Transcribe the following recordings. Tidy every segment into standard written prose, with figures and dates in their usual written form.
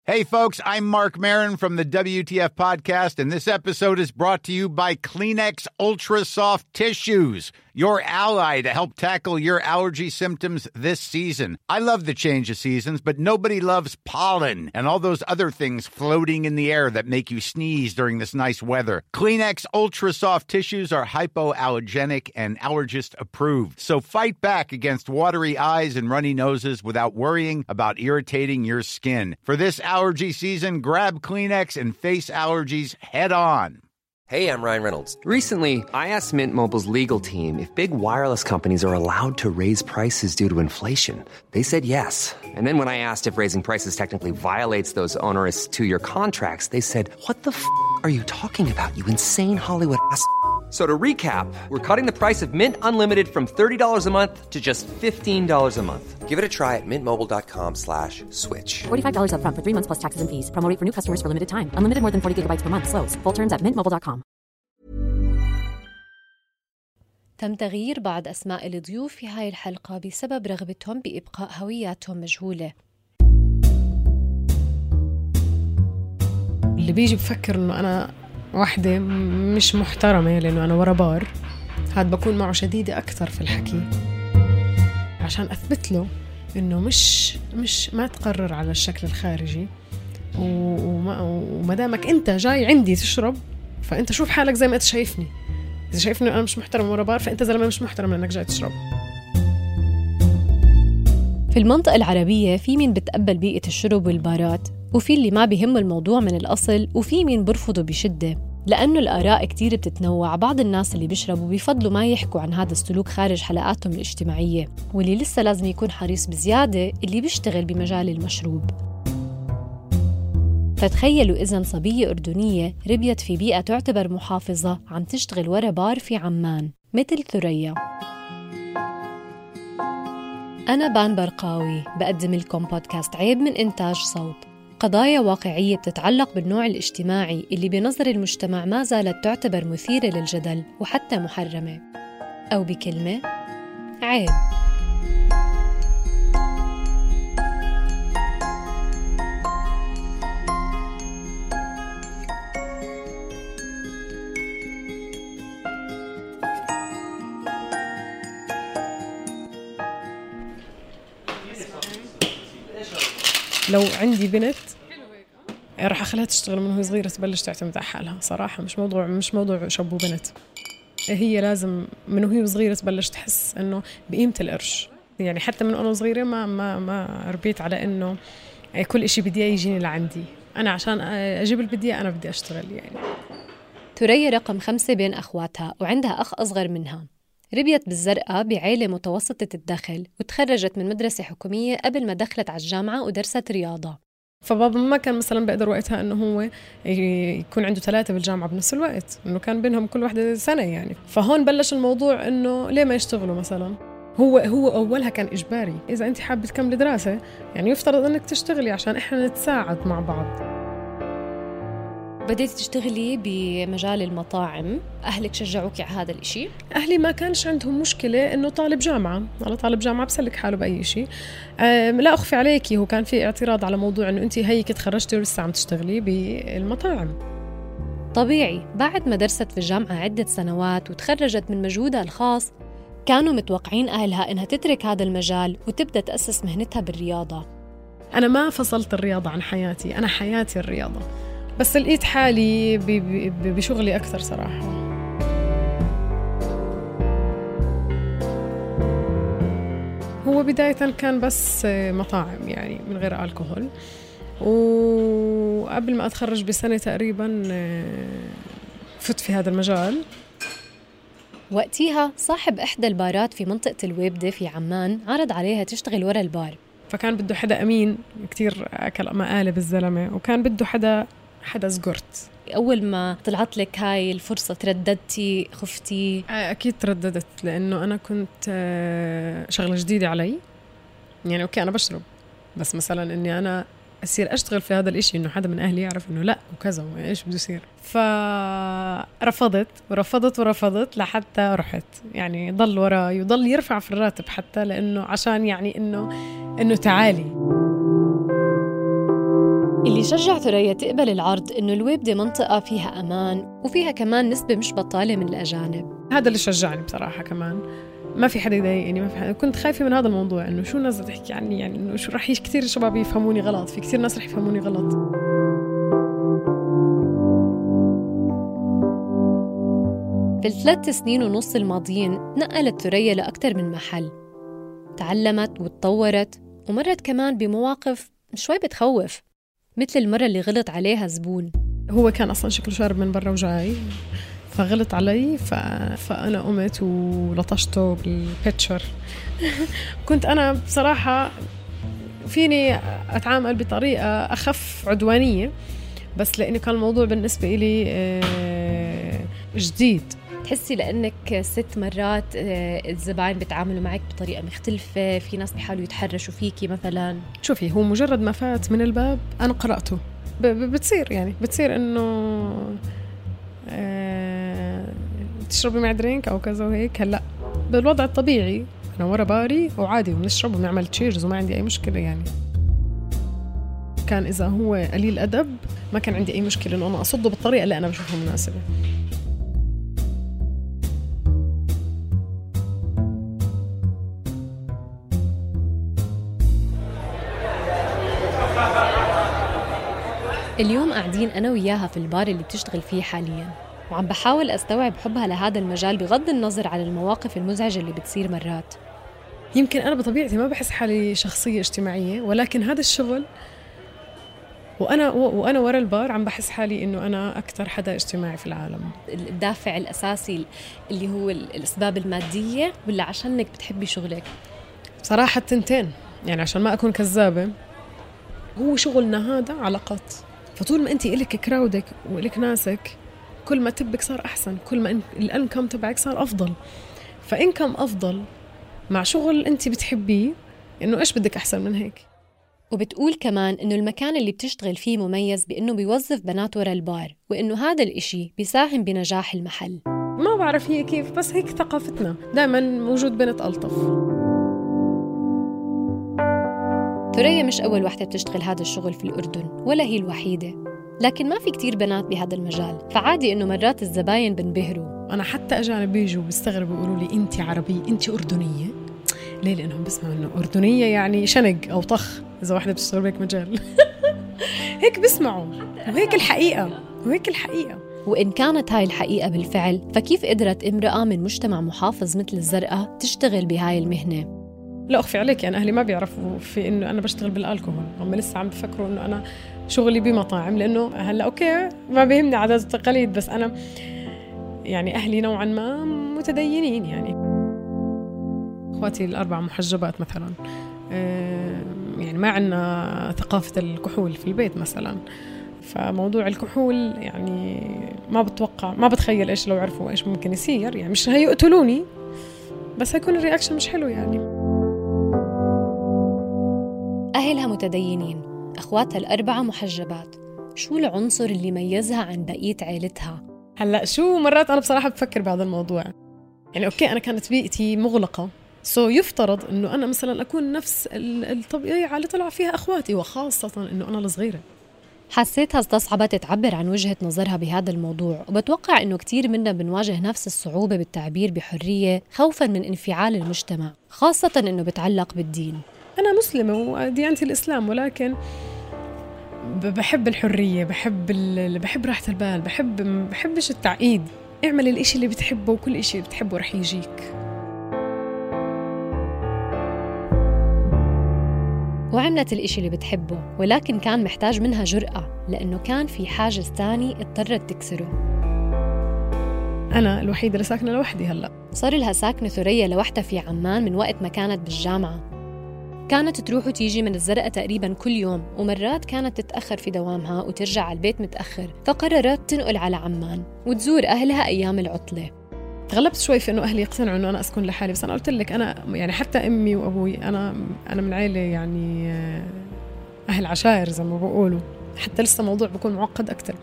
Hey folks, I'm Mark Maron from the WTF podcast, and this episode is brought to you by Kleenex Ultra Soft Tissues, your ally to help tackle your allergy symptoms this season. I love the change of seasons, but nobody loves pollen and all those other things floating in the air that make you sneeze during this nice weather. Kleenex Ultra Soft Tissues are hypoallergenic and allergist approved, so fight back against watery eyes and runny noses without worrying about irritating your skin. For this allergy season, grab Kleenex and face allergies head on. Hey, I'm Ryan Reynolds. Recently, I asked Mint Mobile's legal team if big wireless companies are allowed to raise prices due to inflation. They said yes. And then when I asked if raising prices technically violates those onerous two-year contracts, they said, "What the are you talking about, you insane Hollywood ass?" So to recap, we're cutting the price of Mint Unlimited from $30 a month to just $15 a month. Give it a try at mintmobile.com/switch. $45 up front for 3 months plus taxes and fees. Promo rate for new customers for limited time. Unlimited more than 40 gigabytes per month. Slows full terms at mintmobile.com. تم تغيير بعض أسماء الضيوف في هاي الحلقة بسبب رغبتهم بإبقاء هوياتهم مجهولة. اللي بيجي بفكر إنه أنا واحدة مش محترمة لأنه أنا ورا بار، هاد بكون معه شديدة أكثر في الحكي عشان أثبت له إنه مش ما تقرر على الشكل الخارجي، وما دامك أنت جاي عندي تشرب فأنت شوف حالك زي ما أنت شايفني. إذا شايفني أنا مش محترم ورا بار فأنت زلمة مش محترم لأنك جاي تشرب. في المنطقة العربية في مين بتقبل بيئة الشرب والبارات، وفي اللي ما بيهم الموضوع من الأصل، وفي مين برفضه بشدة. لأنه الآراء كتير بتتنوع. بعض الناس اللي بيشربوا بيفضلوا ما يحكوا عن هذا السلوك خارج حلقاتهم الاجتماعية، واللي لسه لازم يكون حريص بزيادة اللي بيشتغل بمجال المشروب. فتخيلوا إذن صبية أردنية ربيت في بيئة تعتبر محافظة عم تشتغل ورا بار في عمان مثل ثريا. أنا بان برقاوي بقدم لكم بودكاست عيب من إنتاج صوت، قضايا واقعية بتتعلق بالنوع الاجتماعي اللي بنظر المجتمع ما زالت تعتبر مثيرة للجدل وحتى محرمة، أو بكلمة عيب. لو عندي بنت راح أخليها تشتغل من وهي صغيرة تبلش تعتمد على حالها صراحة. مش موضوع شاب وبنت، هي لازم من وهي صغيرة تبلش تحس إنه بقيمة القرش. يعني حتى من أنا صغيرة ما ربيت على إنه كل إشي بدي يجيني لعندي أنا، عشان أجيب اللي بدي أنا بدي أشتغل. يعني ثريا رقم 5 بين أخواتها وعندها أخ أصغر منها. ربيت بالزرقاء بعائلة متوسطة الدخل، وتخرجت من مدرسة حكومية قبل ما دخلت على الجامعة ودرست رياضة. فبابا ما كان مثلا بقدر وقتها انه هو يكون عنده 3 بالجامعة بنفس الوقت، انه كان بينهم كل واحدة سنة يعني. فهون بلش الموضوع انه ليه ما يشتغلوا مثلا. هو اولها كان اجباري، اذا انت حابة تكملي دراسة يعني يفترض انك تشتغلي عشان احنا نتساعد مع بعض. بديتي تشتغلي بمجال المطاعم، أهلك شجعوك على هذا الإشي؟ أهلي ما كانش عندهم مشكلة إنه طالب جامعة، على طالب جامعة بسلك حاله بأي شيء. لا أخفي عليكي، هو كان في اعتراض على موضوع إنه أنتي هيك تخرجتي ولسه عم تشتغلي بالمطاعم. طبيعي، بعد ما درست في الجامعة عدة سنوات وتخرجت من مجهودها الخاص، كانوا متوقعين أهلها إنها تترك هذا المجال وتبدأ تأسس مهنتها بالرياضة. أنا ما فصلت الرياضة عن حياتي، أنا حياتي الرياضة، بس لقيت حالي بشغلي أكثر صراحة. هو بداية كان بس مطاعم يعني من غير الكحول، وقبل ما أتخرج بسنة تقريبا فت في هذا المجال. وقتها صاحب إحدى البارات في منطقة الويبدة في عمان عرض عليها تشتغل ورا البار، فكان بده حدا أمين كتير أكل مقالب الزلمة، وكان بده حدا زقرت. أول ما طلعت لك هاي الفرصة ترددتي، خفتي؟ أكيد ترددت، لأنه أنا كنت شغلة جديدة علي. يعني أوكي أنا بشرب، بس مثلا إني أنا أصير أشتغل في هذا الإشي إنه حدا من أهلي يعرف إنه لأ وكذا وإيش بده يصير. فرفضت لحتى رحت. يعني ضل وراي وضل يرفع في الراتب حتى، لأنه عشان يعني إنه تعالي. اللي شجع ثريا تقبل العرض إنه الويبدة منطقة فيها أمان وفيها كمان نسبة مش بطالة من الأجانب. هذا اللي شجعني بصراحة. كمان ما في حدا يضايقني، ما في حدا. كنت خايفة من هذا الموضوع، إنه شو الناس تحكي عني، يعني إنه شو رح كتير شباب يفهموني غلط، في كتير ناس رح يفهموني غلط. في ال3 سنين ونص الماضيين نقلت ثريا لأكتر من محل، تعلمت وتطورت ومرت كمان بمواقف شوي بتخوف، مثل المرة اللي غلط عليها زبون. هو كان أصلاً شكله شارب من برا وجاي، فغلط علي، فأنا قمت ولطشته بالبيتشر. كنت أنا بصراحة فيني أتعامل بطريقة أخف عدوانية، بس لأنه كان الموضوع بالنسبة إلي جديد. تحسي لأنك 6 مرات الزبائن بتعاملوا معك بطريقة مختلفة، في ناس بيحاولوا يتحرشوا فيكي مثلا؟ شوفي، هو مجرد ما فات من الباب أنا قرأته، بتصير إنه تشربي مع درينك أو كذا وهيك. هلأ بالوضع الطبيعي أنا ورا باري وعادي وبنشرب وبنعمل تشيرز وما عندي أي مشكلة. يعني كان إذا هو قليل أدب ما كان عندي أي مشكلة إنه أنا أصده بالطريقة اللي أنا بشوفها مناسبة. اليوم قاعدين أنا وياها في البار اللي بتشتغل فيه حالياً، وعم بحاول أستوعب حبها لهذا المجال بغض النظر عن المواقف المزعجة اللي بتصير مرات. يمكن أنا بطبيعتي ما بحس حالي شخصية اجتماعية، ولكن هذا الشغل وأنا ورا البار عم بحس حالي إنه أنا أكتر حدا اجتماعي في العالم. الدافع الأساسي اللي هو الأسباب المادية ولا عشانك بتحبي شغلك؟ صراحة التنتين، يعني عشان ما أكون كذابة، هو شغلنا هذا علاقات. فطول ما أنت إلك كراودك وإلك ناسك، كل ما تبك صار أحسن، كل ما الانكم تبعك صار أفضل. فإنكم أفضل مع شغل أنت بتحبيه، إنه إيش بدك أحسن من هيك؟ وبتقول كمان إنه المكان اللي بتشتغل فيه مميز بإنه بيوظف بنات ورا البار، وإنه هذا الإشي بيساهم بنجاح المحل. ما بعرف هي كيف، بس هيك ثقافتنا دائما موجود بنت ألطف. ثريا مش أول واحدة بتشتغل هذا الشغل في الأردن، ولا هي الوحيدة، لكن ما في كتير بنات بهذا المجال، فعادي إنه مرات الزباين بنبهروا. أنا حتى أجانب بيجوا بيستغربوا يقولوا لي أنت عربية، أنت أردنية. ليه؟ لأنهم بسمعوا إنه أردنية يعني شنق أو طخ، إذا واحدة بتشتغل بهيك مجال. هيك بسمعوا، وهيك الحقيقة. وإن كانت هاي الحقيقة بالفعل، فكيف قدرت امرأة من مجتمع محافظ مثل الزرقاء تشتغل بهاي المهنة؟ لا أخفي عليك، أنا أهلي ما بيعرفوا في إنه أنا بشتغل بالألكوهول، هم لسه عم بفكروا إنه أنا شغلي بمطاعم، لأنه هلأ أوكي ما بيهمني عادات التقاليد، بس أنا يعني أهلي نوعاً ما متدينين. يعني أخواتي ال4 محجبات مثلاً، يعني ما عنا ثقافة الكحول في البيت مثلاً، فموضوع الكحول يعني ما بتخيل إيش لو عرفوا إيش ممكن يصير. يعني مش هيقتلوني، بس هيكون الرياكشن مش حلو. يعني أهلها متدينين، أخواتها ال4 محجبات، شو العنصر اللي ميزها عن بقية عائلتها؟ هلأ شو مرات أنا بصراحة بفكر بهذا الموضوع. يعني أوكي أنا كانت بيئتي مغلقة، يفترض إنه أنا مثلا أكون نفس الطبيعة اللي طلع فيها أخواتي، وخاصة إنه أنا الصغيرة. حسيتها استصعبت تعبر عن وجهة نظرها بهذا الموضوع، وبتوقع إنه كتير منا بنواجه نفس الصعوبة بالتعبير بحرية خوفاً من انفعال المجتمع، خاصة إنه بتعلق بالدين. أنا مسلمة وديانتي الإسلام، ولكن بحب الحرية، بحب راحة البال، بحبش التعقيد. اعمل الإشي اللي بتحبه، وكل إشي بتحبه رح يجيك. وعملت الإشي اللي بتحبه، ولكن كان محتاج منها جرأة، لأنه كان في حاجز تاني اضطرت تكسره. أنا الوحيدة اللي ساكنة لوحدي. هلأ صار لها ساكنة ثريا لوحدها في عمان من وقت ما كانت بالجامعة. كانت تروح وتيجي من الزرقاء تقريباً كل يوم، ومرات كانت تتأخر في دوامها وترجع على البيت متأخر، فقررت تنقل على عمان وتزور أهلها أيام العطلة. تغلبت شوي في إنه أهلي يقتنعوا إنه أنا أسكن لحالي، بس أنا قلت لك أنا يعني حتى أمي وأبوي أنا من عائلة يعني أهل عشائر زي ما بقولوا، حتى لسه موضوع بيكون معقد أكتر.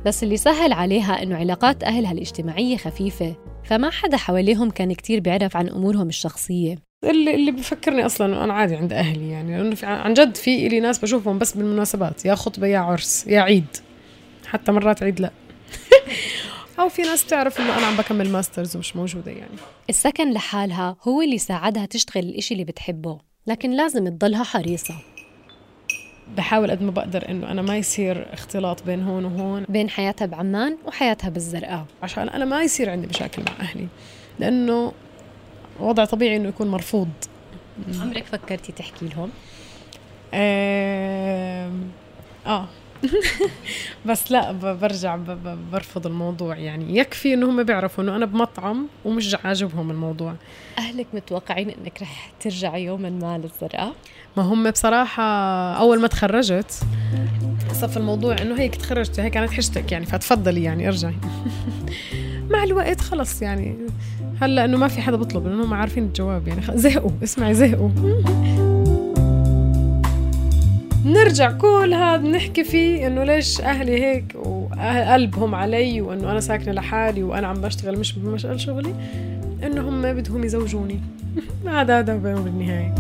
بس اللي سهل عليها إنه علاقات أهلها الاجتماعية خفيفة، فما حدا حواليهم كان كتير بيعرف عن أمورهم الشخصية. اللي بفكرني أصلاً أنا عادي عند أهلي يعني، لأنه عن جد في إلي ناس بشوفهم بس بالمناسبات، يا خطبة يا عرس يا عيد، حتى مرات عيد لا أو في ناس تعرف إنه أنا عم بكمل ماسترز ومش موجودة يعني. السكن لحالها هو اللي ساعدها تشتغل الإشي اللي بتحبه، لكن لازم تضلها حريصة. بحاول قد ما بقدر إنه أنا ما يصير اختلاط بين هون وهون، بين حياتها بعمان وحياتها بالزرقاء، عشان أنا ما يصير عندي مشاكل مع أهلي، لأنه وضع طبيعي إنه يكون مرفوض. عمرك فكرتي تحكي لهم؟ بس لا برجع برفض الموضوع يعني. يكفي إنه هم بيعرفوا إنه أنا بمطعم ومش عاجبهم الموضوع. أهلك متوقعين إنك رح ترجعي يوما ما للزرقاء؟ ما هم بصراحة أول ما تخرجت صف الموضوع إنه هيك تخرجت هيك كانت حشتك يعني فتفضلي يعني ارجعي. مع الوقت خلص يعني هلا إنه ما في حدا بطلب لأنه هم عارفين الجواب يعني زهقوا. اسمعي زهقوا. نرجع كل هذا نحكي فيه إنه ليش أهلي هيك وقلبهم علي وإنه أنا ساكنة لحالي وأنا عم بشتغل مش بمشغل شغلي، إنه هم بدهم يزوجوني. هذا بالنهاية.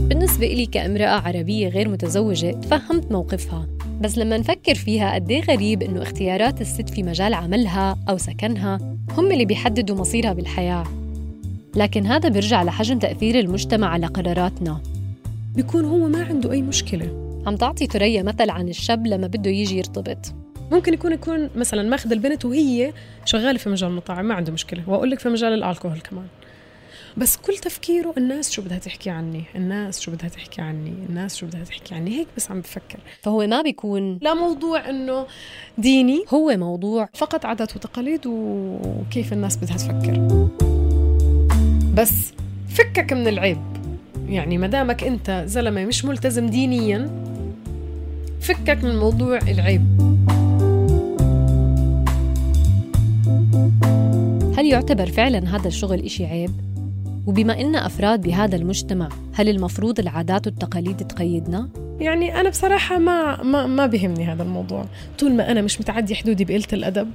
بالنسبة إلي كامرأة عربية غير متزوجة تفهمت موقفها، بس لما نفكر فيها قديه غريب إنه اختيارات الست في مجال عملها أو سكنها هم اللي بيحددوا مصيرها بالحياة. لكن هذا بيرجع لحجم تأثير المجتمع على قراراتنا. بيكون هو ما عنده أي مشكلة. عم تعطي ثريا مثل عن الشاب لما بده يجي يرتبط، ممكن يكون مثلا ماخذ البنت وهي شغالة في مجال المطاعم ما عنده مشكلة، وأقول لك في مجال الألكوهول كمان، بس كل تفكيره الناس شو بدها تحكي عني، الناس شو بدها تحكي عني، الناس شو بدها تحكي عني، هيك بس عم بفكر. فهو ما بيكون لا موضوع إنه ديني، هو موضوع فقط عادات وتقاليد وكيف الناس بدها تفكر. بس فكك من العيب يعني، مدامك أنت زلمة مش ملتزم دينيا فكك من موضوع العيب. هل يعتبر فعلا هذا الشغل إشي عيب؟ وبما إننا أفراد بهذا المجتمع هل المفروض العادات والتقاليد تقيدنا؟ يعني أنا بصراحة ما بيهمني هذا الموضوع، طول ما أنا مش متعدي حدودي بقلة الأدب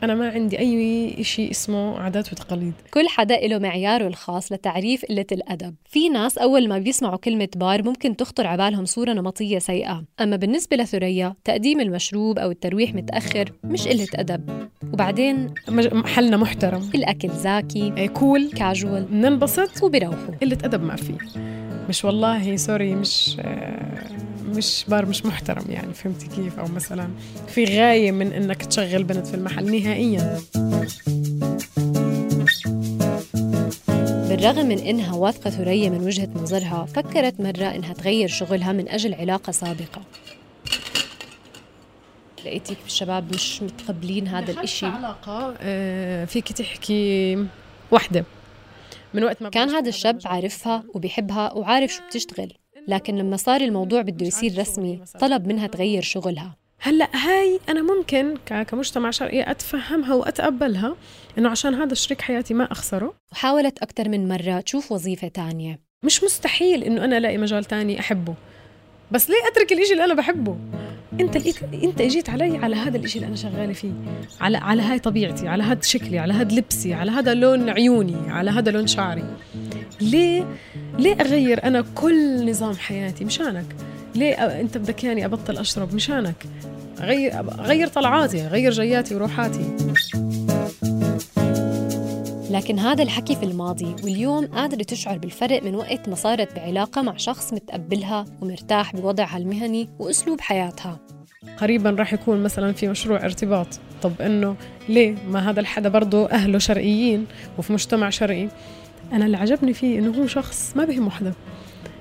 أنا ما عندي أي إشي اسمه عادات وتقاليد. كل حدا له معياره الخاص لتعريف قلة الأدب. في ناس أول ما بيسمعوا كلمة بار ممكن تخطر عبالهم صورة نمطية سيئة، أما بالنسبة لثريا تقديم المشروب أو الترويح متأخر مش قلة أدب. وبعدين محلنا محترم، الأكل زاكي، كول كاجوال، ننبسط وبيروحوا. قلة أدب ما في، مش والله سوري مش بار مش محترم يعني، فهمتي كيف؟ أو مثلا في غاية من إنك تشغل بنت في المحل نهائيا. بالرغم من إنها واثقة ثريا من وجهة نظرها، فكرت مرة إنها تغير شغلها من أجل علاقة سابقة. لقيتك بالشباب مش متقبلين هذا الإشي. علاقة فيك تحكي وحدة من وقت ما كان هذا الشاب عارفها وبيحبها وعارف شو بتشتغل، لكن لما صار الموضوع بده يصير رسمي طلب منها تغير شغلها. هلأ هاي أنا ممكن كمجتمع شرقي أتفهمها وأتقبلها إنه عشان هذا شريك حياتي ما أخسره. وحاولت أكتر من مرة تشوف وظيفة تانية. مش مستحيل إنه أنا ألاقي مجال تاني أحبه، بس ليه أترك الإشي اللي أنا بحبه؟ أنت اجيت علي على هذا الإشي اللي أنا شغالة فيه، على هاي طبيعتي، على هذا شكلي، على هذا لبسي، على هذا لون عيوني، على هذا لون شعري. ليه أغير أنا كل نظام حياتي مشانك؟ ليه أنت بدك يعني أبطل أشرب مشانك؟ غير طلعاتي، غير جياتي وروحاتي. لكن هذا الحكي في الماضي، واليوم قادرة تشعر بالفرق من وقت ما صارت بعلاقة مع شخص متقبلها ومرتاح بوضعها المهني وأسلوب حياتها. قريباً راح يكون مثلاً في مشروع ارتباط، طب إنه ليه ما هذا الحدا برضو أهله شرقيين وفي مجتمع شرقي. أنا اللي عجبني فيه إنه هو شخص ما بهم حدا،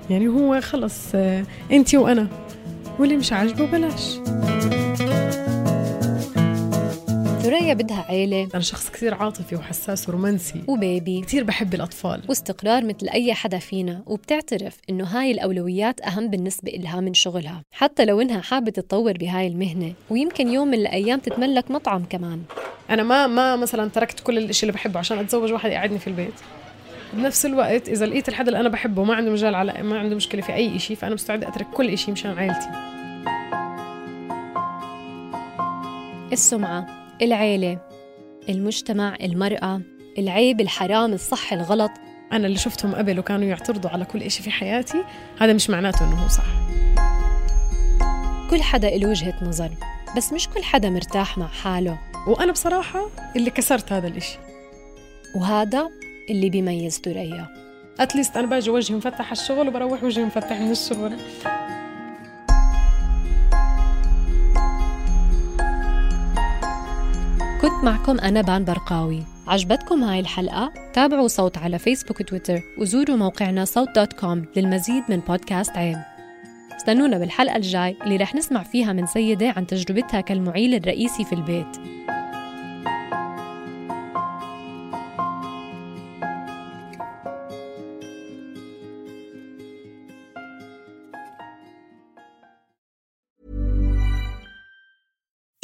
يعني هو خلص أنتي وأنا، واللي مش عاجبه بلاش. ثريا بدها عيلة. أنا شخص كثير عاطفي وحساس ورومانسي وبيبي، كثير بحب الأطفال واستقرار مثل أي حدا فينا، وبتعترف إنه هاي الأولويات أهم بالنسبة إلها من شغلها، حتى لو إنها حابة تتطور بهاي المهنة ويمكن يوم من الأيام تتملك مطعم كمان. أنا ما مثلا تركت كل الاشي اللي بحبه عشان أتزوج واحد يقعدني في البيت. بنفس الوقت إذا لقيت الحدا اللي أنا بحبه ما عنده مجال ما عنده مشكلة في أي إشي، فأنا مستعدة أترك كل إشي مشان عائلتي. السمعة، العيلة، المجتمع، المرأة، العيب، الحرام، الصح، الغلط. أنا اللي شفتهم قبل وكانوا يعترضوا على كل إشي في حياتي، هذا مش معناته إنه هو صح. كل حدا له وجهة نظر، بس مش كل حدا مرتاح مع حاله. وأنا بصراحة اللي كسرت هذا الإشي، وهذا اللي بيميز ثريا. أتليست أنا باجي وجهي مفتح على الشغل وبروح وجهي مفتح من الشغل. كنت معكم أنا بان برقاوي. عجبتكم هاي الحلقة؟ تابعوا صوت على فيسبوك وتويتر وزوروا موقعنا صوت.com للمزيد من بودكاست عيب. استنونا بالحلقة الجاي اللي رح نسمع فيها من سيدة عن تجربتها كالمعيل الرئيسي في البيت.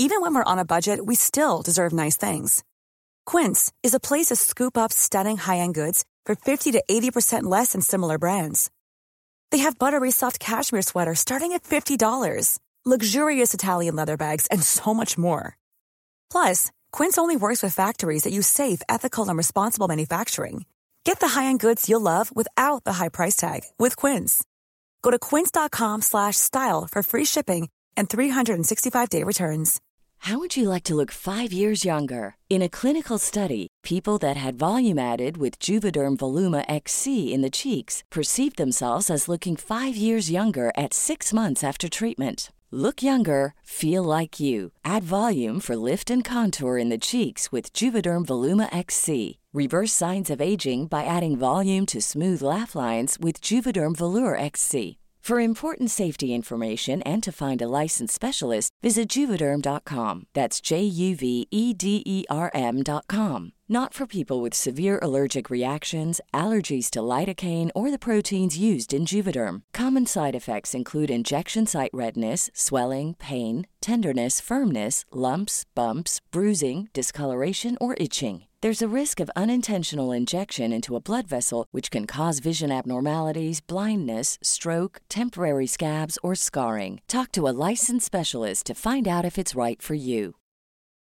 Even when we're on a budget, we still deserve nice things. Quince is a place to scoop up stunning high-end goods for 50 to 80% less than similar brands. They have buttery soft cashmere sweaters starting at $50, luxurious Italian leather bags, and so much more. Plus, Quince only works with factories that use safe, ethical, and responsible manufacturing. Get the high-end goods you'll love without the high price tag with Quince. Go to quince.com/style for free shipping and 365-day returns. How would you like to look 5 years younger? In a clinical study, people that had volume added with Juvederm Voluma XC in the cheeks perceived themselves as looking 5 years younger at 6 months after treatment. Look younger, feel like you. Add volume for lift and contour in the cheeks with Juvederm Voluma XC. Reverse signs of aging by adding volume to smooth laugh lines with Juvederm Volure XC. For important safety information and to find a licensed specialist, visit Juvederm.com. That's JUVEDERM.com. Not for people with severe allergic reactions, allergies to lidocaine, or the proteins used in Juvederm. Common side effects include injection site redness, swelling, pain, tenderness, firmness, lumps, bumps, bruising, discoloration, or itching. There's a risk of unintentional injection into a blood vessel, which can cause vision abnormalities, blindness, stroke, temporary scabs, or scarring. Talk to a licensed specialist to find out if it's right for you.